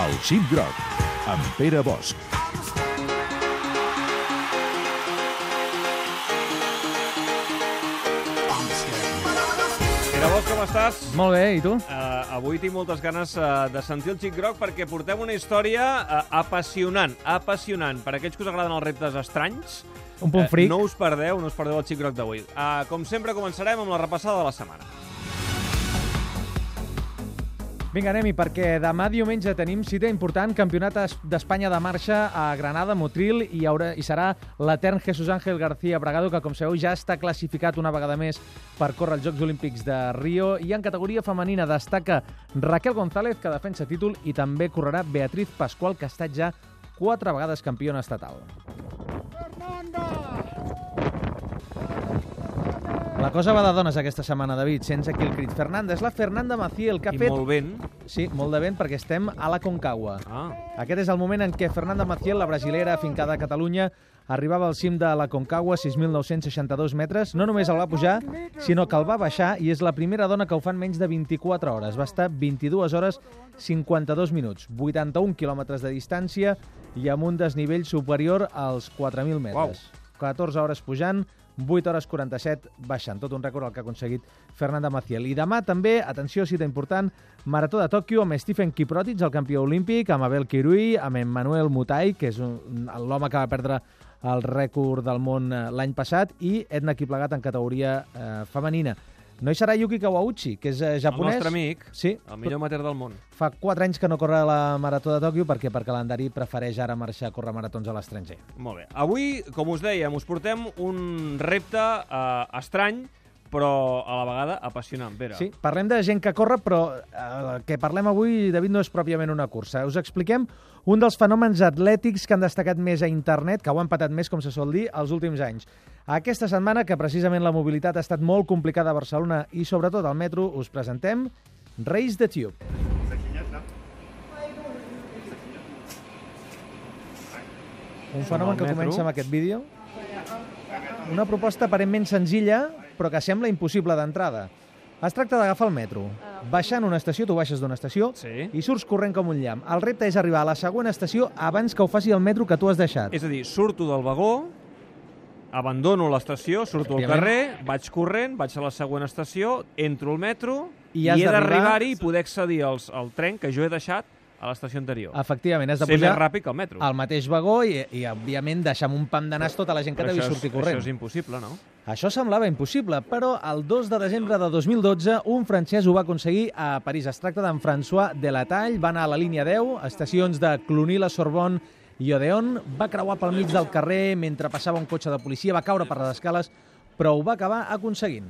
El Xip Groc, amb Pere Bosch. Pere Bosch, com estàs? Molt bé, i tu? Avui tinc moltes ganes de sentir el Xip Groc perquè portem una història apassionant per aquells que us agraden els reptes estranys. Un punt fric. No us perdeu el Xip Groc d'avui. Com sempre, començarem amb la repassada de la setmana. Vinga, anem-hi, perquè demà diumenge tenim cita important, Campionat d'Espanya de marxa a Granada, Motril, i serà l'etern Jesús Ángel García Bragado, que, com sabeu, ja està classificat una vegada més per córrer els Jocs Olímpics de Rio. I en categoria femenina destaca Raquel González, que defensa títol, i també correrà Beatriz Pascual, que ha estat ja 4 vegades campiona estatal. La cosa va de dones aquesta setmana, David, sense aquí el crit. Fernanda, és la Fernanda Maciel, que ha fet... I molt vent. Sí, molt de vent, perquè estem a la Concagua. Aquest és el moment en què Fernanda Maciel, la brasilera afincada a Catalunya, arribava al cim de la Concagua, 6.962 metres. No només el va pujar, sinó que el va baixar, i és la primera dona que ho fa en menys de 24 hores. Va estar 22 hores 52 minuts, 81 quilòmetres de distància i amb un desnivell superior als 4.000 metres. 14 hores pujant, 8 hores 47 baixant. Tot un rècord el que ha aconseguit Fernanda Maciel. I demà també, atenció, cita important, Marató de Tòquio amb Stephen Kiprotich, el campió olímpic, amb Abel Kirui, amb Emmanuel Mutai, que és l'home que va perdre el rècord del món l'any passat, i Edna Kiplagat en categoria femenina. No hi serà Yuki Kawauchi, que és japonès. El nostre amic, sí, el millor amateur del món. Fa 4 anys que no corre la Marató de Tòquio perquè per calendari prefereix ara marxar a córrer maratons a l'estranger. Molt bé. Avui, com us dèiem, us portem un repte estrany, però a la vegada apassionant. Pere. Sí, parlem de gent que corre, però el que parlem avui, David, no és pròpiament una cursa. Us expliquem un dels fenòmens atlètics que han destacat més a internet, que ho han patat més, com se sol dir, els últims anys. Aquesta setmana, que precisament la mobilitat ha estat molt complicada a Barcelona i sobretot al metro, us presentem Race the Tube. Un fenomen que comença amb aquest vídeo. Una proposta aparentment senzilla, però que sembla impossible d'entrada. Es tracta d'agafar el metro. Baixant una estació, tu baixes d'una estació, sí, i surts corrent com un llamp. El repte és arribar a la següent estació abans que ho faci el metro que tu has deixat. És a dir, surto del vagó, abandono l'estació, surto al carrer, vaig corrent, vaig a la següent estació, entro al metro i he d'arribar-hi i poder accedir al tren que jo he deixat a l'estació anterior. Efectivament, has de ser pujar més ràpid que el metro. Al mateix vagó i òbviament, deixar amb un pam de nas tota la gent que t'ha vist sortir corrent. Això és impossible, no? Això semblava impossible, però el 2 de desembre de 2012 un francès ho va aconseguir a París. Es tracta d'en François Delataille, va anar a la línia 10, estacions de Cluny, la Sorbonne i Odéon, va creuar pel mig del carrer mentre passava un cotxe de policia, va caure per les escales, però ho va acabar aconseguint.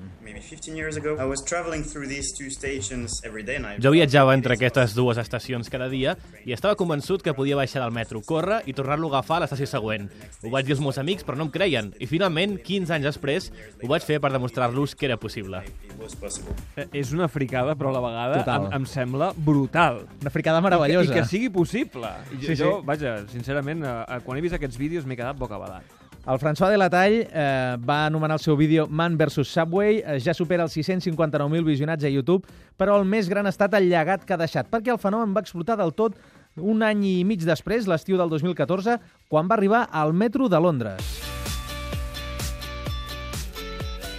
Jo viatjava entre aquestes dues estacions cada dia i estava convençut que podia baixar del metro, córrer i tornar-lo a agafar a l'estació següent. Ho vaig dir als meus amics, però no em creien. I finalment, 15 anys després, ho vaig fer per demostrar-los que era possible. És una fricada, però a la vegada em sembla brutal. Una fricada meravellosa. I que sigui possible. Jo, vaja, sincerament, quan he vist aquests vídeos m'he quedat bocabadat. El François Delataille va anomenar el seu vídeo Man vs Subway, ja supera els 659.000 visionats a YouTube, però el més gran ha estat el llegat que ha deixat, perquè el fenomen va explotar del tot un any i mig després, l'estiu del 2014, quan va arribar al metro de Londres.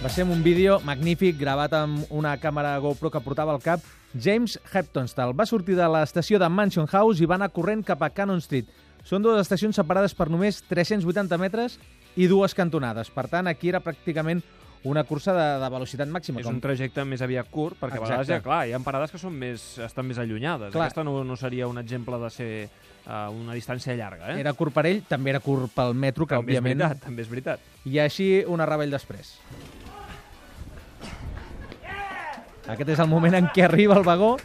Va ser un vídeo magnífic, gravat amb una càmera GoPro que portava al cap James Heptonstall. Va sortir de l'estació de Mansion House i va anar corrent cap a Cannon Street. Són dues estacions separades per només 380 metres i 2 cantonades. Per tant, aquí era pràcticament una cursa de velocitat màxima. És un trajecte més aviat curt, perquè a vegades hi ha parades que estan més allunyades. Aquesta no seria un exemple de ser una distància llarga. Era curt per ell, també era curt pel metro, que òbviament... També és veritat. I així una rebel després. Aquest és el moment en què arriba el vagó.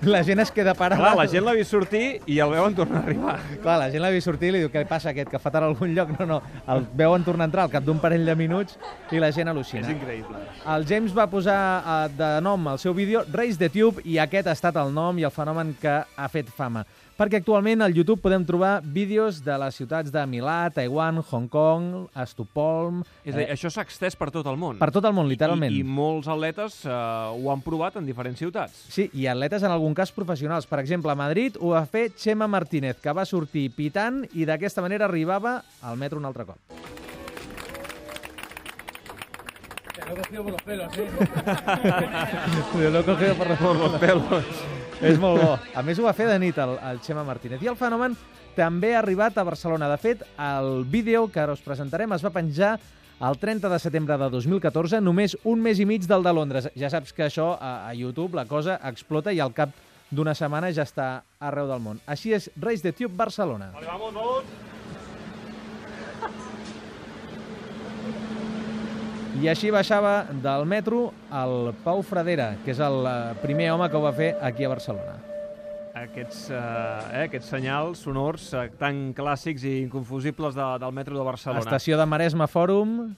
La gent es queda parada. Clar, la gent l'ha vist sortir i el veuen tornar a arribar. Clar, la gent l'ha vist sortir i li diu, què passa aquest, que fa tard a algun lloc? No, el veuen tornar a entrar al cap d'un parell de minuts i la gent al·lucina. És increïble. El James va posar de nom al seu vídeo Race the Tube i aquest ha estat el nom i el fenomen que ha fet fama. Perquè actualment al YouTube podem trobar vídeos de les ciutats de Milà, Taiwan, Hong Kong, Estocolm... És a dir, això s'ha extès per tot el món. Per tot el món, literalment. I molts atletes ho han provat en diferents ciutats. Sí, i atletes en algun concars professionals. Per exemple, a Madrid ho va fer Chema Martínez, que va sortir pitant i d'aquesta manera arribava al metro un altre cop. Lo he cogido por los pelos, ¿eh? Lo he cogido por los pelos. És molt bo. A més, ho va fer de nit el Chema Martínez. I el fenomen també ha arribat a Barcelona. De fet, el vídeo que ara us presentarem es va penjar el 30 de setembre de 2014, només un mes i mig del de Londres. Ja saps que això a YouTube la cosa explota i al cap d'una setmana ja està arreu del món. Així és Race the Tube Barcelona. Vale, vamos. I així baixava del metro el Pau Fradera, que és el primer home que ho va fer aquí a Barcelona. Aquests senyals sonors tan clàssics i inconfusibles del metro de Barcelona. Estació de Maresme Fòrum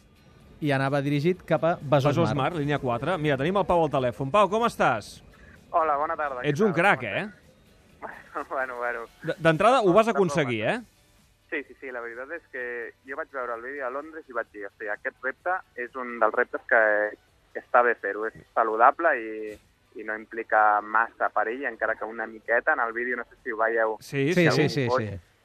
i anava dirigit cap a Besòs Mar. Línia 4. Mira, tenim el Pau al telèfon. Pau, com estàs? Hola, bona tarda. Ets un crac, eh? Bueno. D'entrada ho vas aconseguir, eh? Sí, la veritat és que jo vaig veure el vídeo a Londres i vaig dir, hosti, aquest repte és un dels reptes que està bé fer-ho. És saludable i no implica massa perill, encara que una miqueta. En el vídeo, no sé si ho veieu. Sí.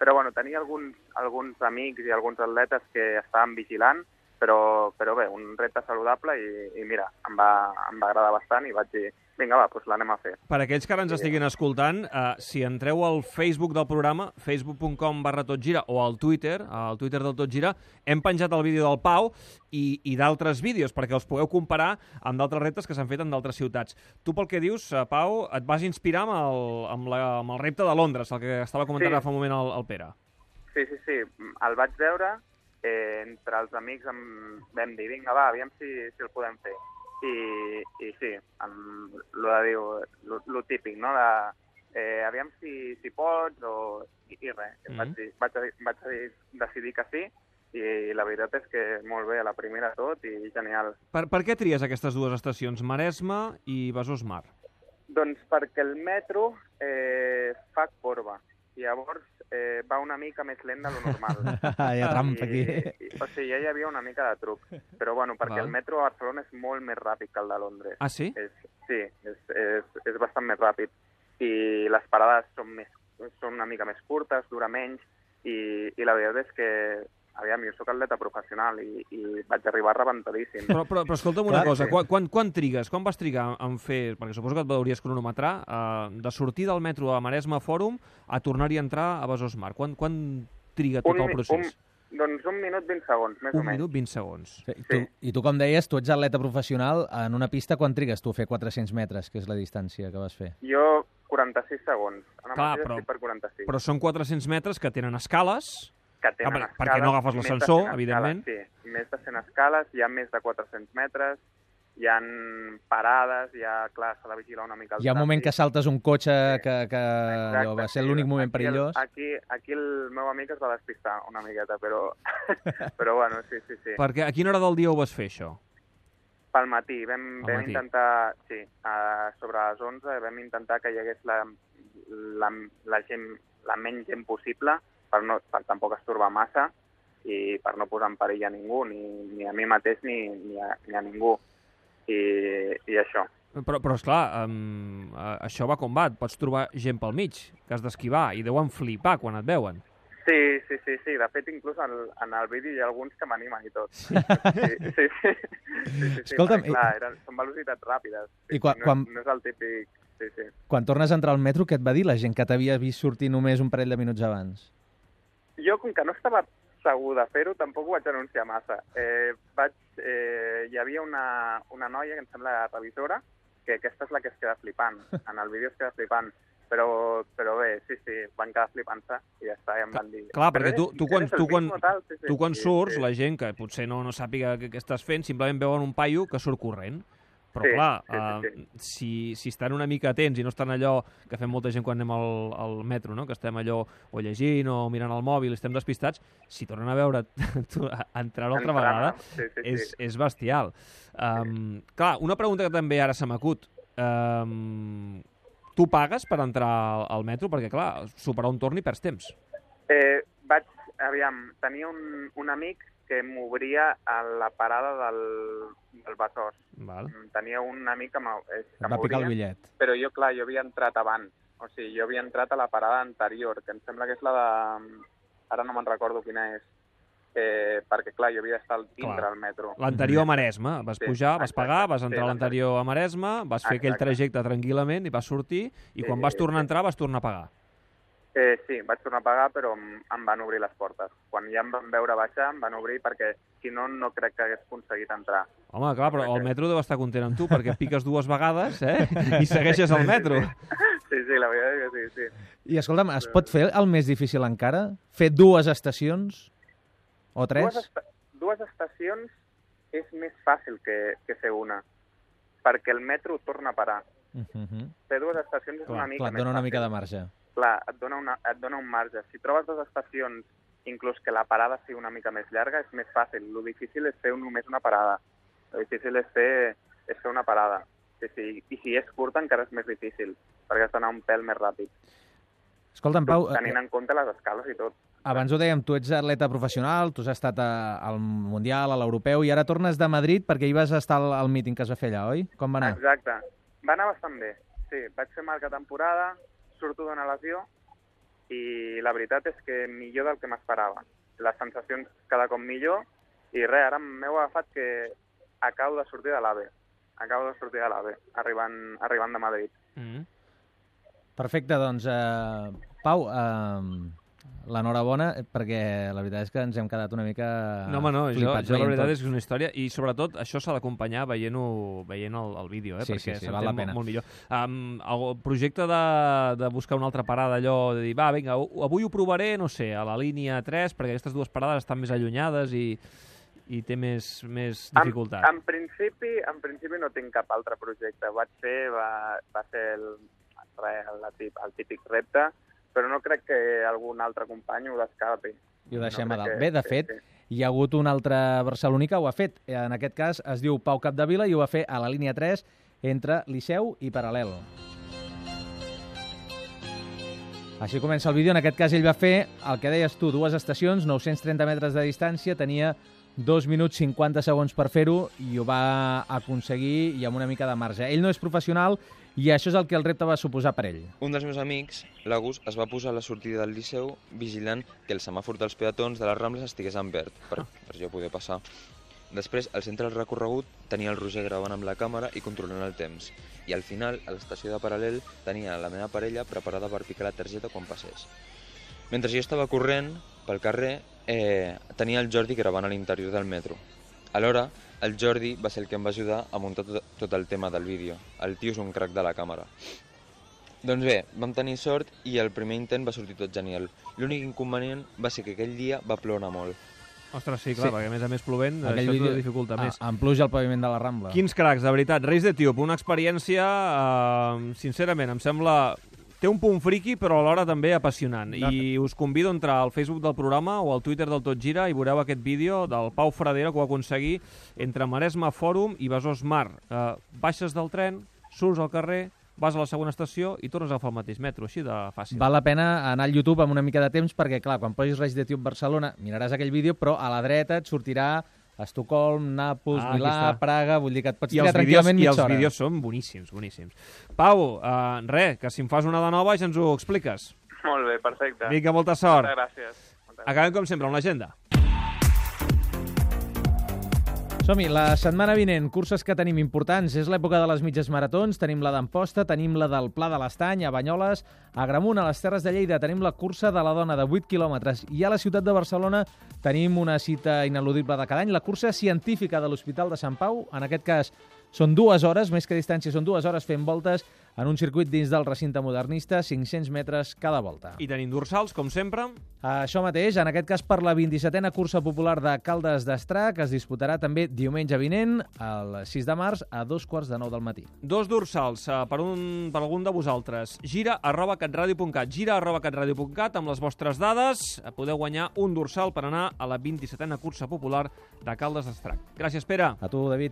Però bueno, tenia alguns amics i alguns atletes que estaven vigilant, però bé, un repte saludable i mira, em va agradar bastant i vaig dir, vinga, va, doncs l'anem a fer. Per aquells que ara ens estiguin escoltant, si entreu al Facebook del programa, facebook.com/totgira, o al Twitter del Tot Gira, hem penjat el vídeo del Pau i d'altres vídeos, perquè els pugueu comparar amb d'altres reptes que s'han fet en d'altres ciutats. Tu, pel que dius, Pau, et vas inspirar amb el repte de Londres, el que estava comentant fa un moment el Pere. Sí. El vaig veure, entre els amics vam dir, vinga, va, aviam si el podem fer. I sí, lo típic, no? Aviam si pots i res. Vaig decidir que sí i la veritat és que molt bé, a la primera tot i genial. Per què tries aquestes dues estacions, Maresme i Besòs Mar? Doncs perquè el metro fa corba i llavors va una mica més lent de lo normal. Hi ha trampa aquí. O sigui, ja hi havia una mica de truc. Però bueno, perquè el metro a Barcelona és molt més ràpid que el de Londres. Ah, sí? Sí, és bastant més ràpid. I les parades són una mica més curtes, dura menys, i la veritat és que aviam, jo soc atleta professional i vaig arribar rebentadíssim. Però escolta'm una cosa, quan trigues, quan vas trigar en fer, perquè suposo que et hauries cronometrar, de sortir del metro a Maresme Fòrum a tornar-hi a entrar a Besòs Mar? Quan triga tot el procés? Doncs 1 minut 20 segons, més o menys. 1 minut 20 segons. I tu, com deies, tu ets atleta professional. En una pista, quan trigues tu a fer 400 metres, que és la distància que vas fer? Jo, 46 segons. Ara mateix estic per 46. Però són 400 metres que tenen escales... escales, perquè no agafes l'ascensor, evidentment. Sí, més de 100 escales, hi ha més de 400 metres, hi ha parades, clar, s'ha de vigilar una mica el trànsit. Hi ha un moment que saltes un cotxe que va ser l'únic moment perillós. Aquí el meu amic es va despistar una miqueta, però bueno, sí. Perquè a quina hora del dia ho vas fer, això? Pel matí. Vam intentar, sí, sobre les 11 vam intentar que hi hagués la menys gent possible, per tampoc estorbar massa i per no posar en perill a ningú, ni a mi mateix ni a ningú. I això. Però esclar, això va com va. Et pots trobar gent pel mig, que has d'esquivar, i deuen flipar quan et veuen. Sí. De fet, inclús en el vídeo hi ha alguns que m'animen i tot. Sí. Escolta'm, clar, són velocitats ràpides. No és el típic... Sí. Quan tornes a entrar al metro, què et va dir la gent que t'havia vist sortir només un parell de minuts abans? Jo, com que no estava segur de fer-ho, tampoc ho vaig anunciar massa. Hi havia una noia, que em sembla revisora, que aquesta és la que es queda flipant. En el vídeo es queda flipant. Però bé, sí, van quedar flipant-se i ja està, i em van dir... Clar, perquè tu quan surts, la gent que potser no sàpiga què estàs fent, simplement veuen un paio que surt corrent. Però clar, si estan una mica atents i no estan allò que fem molta gent quan anem al metro, no? Que estem allò o llegint o mirant el mòbil, estem despistats, si tornen a veure entrar una altra vegada, és bestial. Clar, una pregunta que també ara se m'acut. Tu pagues per entrar al metro? Perquè, clar, superar un torn i perds temps. Tenia un amic que m'obria a la parada del Besòs. Tenia un amic que va picar el bitllet. Però jo havia entrat abans. O sigui, jo havia entrat a la parada anterior, que em sembla que és la de... Ara no me'n recordo quina és. Perquè, clar, jo havia d'estar dintre al metro. L'anterior a Maresme. Vas pujar, vas pagar, vas entrar a l'anterior a Maresme, vas fer aquell trajecte tranquil·lament i vas sortir, i quan vas tornar a entrar vas tornar a pagar. Sí, vaig tornar a pagar, però em van obrir les portes. Quan ja em van veure baixar, em van obrir perquè, si no, no crec que hagués aconseguit entrar. Home, clar, però el metro deu estar content amb tu, perquè piques 2 vegades, i segueixes el metro. Sí, la veritat és que sí. I escolta'm, es pot fer el més difícil encara? Fer 2 estacions? O 3? 2 estacions és més fàcil que fer una, perquè el metro torna a parar. Fer 2 estacions és una mica més fàcil. Et dona una mica de marge. Clar, et dona un marge. Si trobes 2 estacions, inclús que la parada sigui una mica més llarga, és més fàcil. Lo difícil és fer només una parada. Lo difícil és fer una parada. I si és curta encara és més difícil, perquè has d'anar un pèl més ràpid. Escolta'm, Pau... Tenint en compte les escales i tot. Abans ho dèiem, tu ets atleta professional, tu has estat al Mundial, a l'Europeu, i ara tornes de Madrid perquè hi vas estar al míting que es va fer allà, oi? Com va anar? Exacte. Va anar bastant bé. Sí, vaig fer marca temporada, surto d'una lesió, i la veritat és que millor del que m'esperava. Les sensacions cada cop millor, i res, ara m'heu agafat que acabo de sortir de l'AVE. Arribant de Madrid. Perfecte, doncs, Pau, l'enhorabona, perquè la veritat és que ens hem quedat una mica flipats. Jo la veritat és que és una història, i sobretot això s'ha d'acompanyar veient el vídeo, perquè val la pena. Molt millor. El projecte de buscar una altra parada, allò de dir, va, vinga, avui ho provaré, no sé, a la línia 3, perquè aquestes 2 parades estan més allunyades i té més dificultat. En principi no tinc cap altre projecte. Va ser el típic repte, però no crec que algun altre company ho descarti. I ho deixem a dalt. Bé, de fet, hi ha hagut un altre barceloní que ho ha fet. En aquest cas es diu Pau Capdevila i ho va fer a la línia 3 entre Liceu i Paral·lel. Així comença el vídeo. En aquest cas ell va fer el que deies tu, 2 estacions, 930 metres de distància, tenia 2 minuts 50 segons per fer-ho i ho va aconseguir i amb una mica de marge. Ell no és professional i això és el que el repte va suposar per ell. Un dels meus amics, l'Agus, es va posar a la sortida del Liceu vigilant que el semàfor dels peatons de les Rambles estigués en verd per jo poder passar. Després, al centre del recorregut, tenia el Roger gravant amb la càmera i controlant el temps. I al final, a l'estació de Paral·lel, tenia la meva parella preparada per picar la targeta quan passés. Mentre jo estava corrent pel carrer, tenia el Jordi gravant a l'interior del metro. Alhora, el Jordi va ser el que em va ajudar a muntar tot el tema del vídeo. El tio és un crac de la càmera. Doncs bé, vam tenir sort i el primer intent va sortir tot genial. L'únic inconvenient va ser que aquell dia va ploure molt. Ostres, sí, clar, perquè a més plovent, això t'ho dificulta més. En pluja al paviment de la Rambla. Quins cracs, de veritat. Reis d'Etíop, una experiència, sincerament, em sembla... Té un punt friqui, però alhora també apassionant. I us convido a entrar al Facebook del programa o al Twitter del Tot Gira i veureu aquest vídeo del Pau Fradera que ho va aconseguir entre Maresme Fòrum i Besòs Mar. Baixes del tren, surts al carrer, vas a la segona estació i tornes a agafar el mateix metro, així de fàcil. Val la pena anar al YouTube amb una mica de temps perquè, clar, quan posis Reis d'Etíop Barcelona miraràs aquell vídeo, però a la dreta et sortirà Estocolm, Nàpols, Milà, Praga, vull dir que et pots tirar tranquil·lament mitja hora. I els vídeos són boníssims, boníssims. Pau, que si em fas una de nova ja ens ho expliques. Molt bé, perfecte. Vinga, molta sort. Moltes gràcies. Acabem, com sempre, amb l'agenda. Som-hi, la setmana vinent, curses que tenim importants. És l'època de les mitges maratons, tenim la d'Amposta, tenim la del Pla de l'Estany, a Banyoles, a Agramunt, a les Terres de Lleida, tenim la cursa de la dona de 8 quilòmetres i a la ciutat de Barcelona tenim una cita ineludible de cada any, la cursa científica de l'Hospital de Sant Pau. En aquest cas són 2 hores, més que distància, són 2 hores fent voltes en un circuit dins del recinte modernista, 500 metres cada volta. I tenim dorsals, com sempre. Això mateix, en aquest cas per la 27a cursa popular de Caldes d'Estrac, que es disputarà també diumenge vinent, el 6 de març, a 2:45 del matí. 2 dorsals per algun de vosaltres. gira@catradio.cat, gira@catradio.cat, amb les vostres dades podeu guanyar un dorsal per anar a la 27a cursa popular de Caldes d'Estrac. Gràcies, Pere. A tu, David.